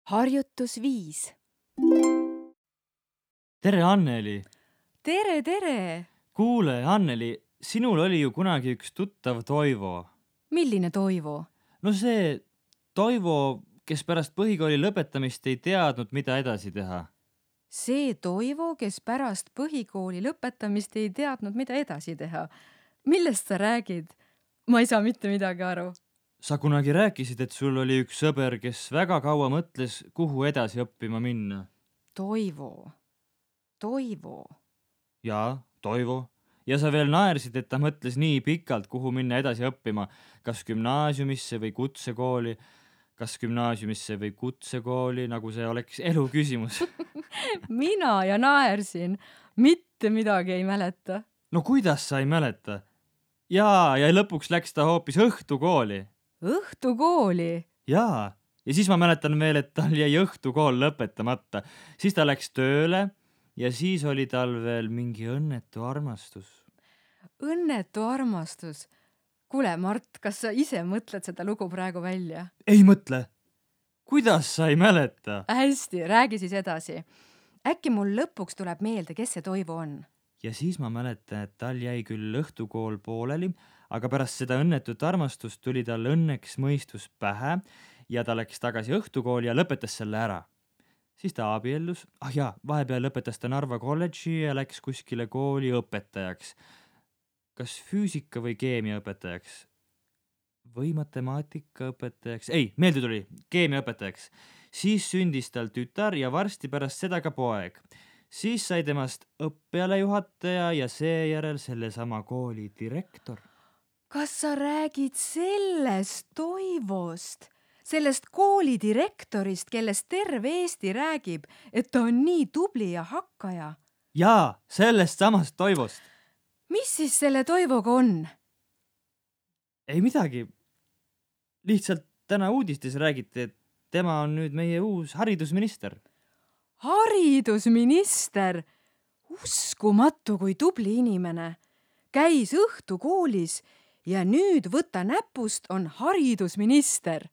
Harjutus 5. Tere, Anneli! Tere, tere! Kuule, Anneli, sinul oli ju kunagi üks tuttav Toivo. Milline Toivo? No see Toivo, kes pärast põhikooli lõpetamist ei teadnud, mida edasi teha. See Toivo, kes pärast põhikooli lõpetamist ei teadnud, mida edasi teha. Millest sa räägid? Ma ei saa mitte midagi aru. Sa kunagi rääkisid, et sul oli üks sõber, kes väga kaua mõtles, kuhu edasi õppima minna. Toivo. Jaa, Toivo. Ja sa veel naersid, et ta mõtles nii pikalt, kuhu minna edasi õppima, kas gümnaasiumisse või kutsekooli, nagu see oleks elu küsimus. Mina ja naersin. Mitte midagi ei mäleta. No kuidas sa ei mäleta? Jaa, ja lõpuks läks ta hoopis õhtukooli. Õhtukooli? Jaa, ja siis ma mäletan veel, et tal jäi õhtukool lõpetamata. Siis ta läks tööle ja siis oli tal veel mingi õnnetu armastus. Õnnetu armastus? Kuule, Mart, kas sa ise mõtled seda lugu praegu välja? Ei mõtle. Kuidas sa ei mäleta? Hästi, räägi siis edasi. Äkki mul lõpuks tuleb meelde, kes see Toivo on? Ja siis ma mäletan, et tal jäi küll õhtukool pooleli, aga pärast seda õnnetut armastust tuli tal õnneks mõistus pähe ja ta läks tagasi õhtukooli ja lõpetas selle ära. Siis ta abiellus, vahepeal lõpetas ta Narva kolledži ja läks kuskile kooli õpetajaks. Kas füüsika või keemia õpetajaks? Või matemaatika õpetajaks? Ei, meelde tuli, keemia õpetajaks. Siis sündis tal tütar ja varsti pärast seda ka poeg. Siis sai temast õppealajuhataja ja seejärel sellesama kooli direktor. Kas sa räägid sellest Toivost? Sellest kooli direktorist, kellest terve Eesti räägib, et ta on nii tubli ja hakkaja? Jaa, sellest samast Toivost. Mis siis selle Toivoga on? Ei midagi. Lihtsalt täna uudistes räägiti, et tema on nüüd meie uus haridusminister. Haridusminister? Uskumatu, kui tubli inimene. Käis õhtukoolis ja nüüd võta näpust on haridusminister.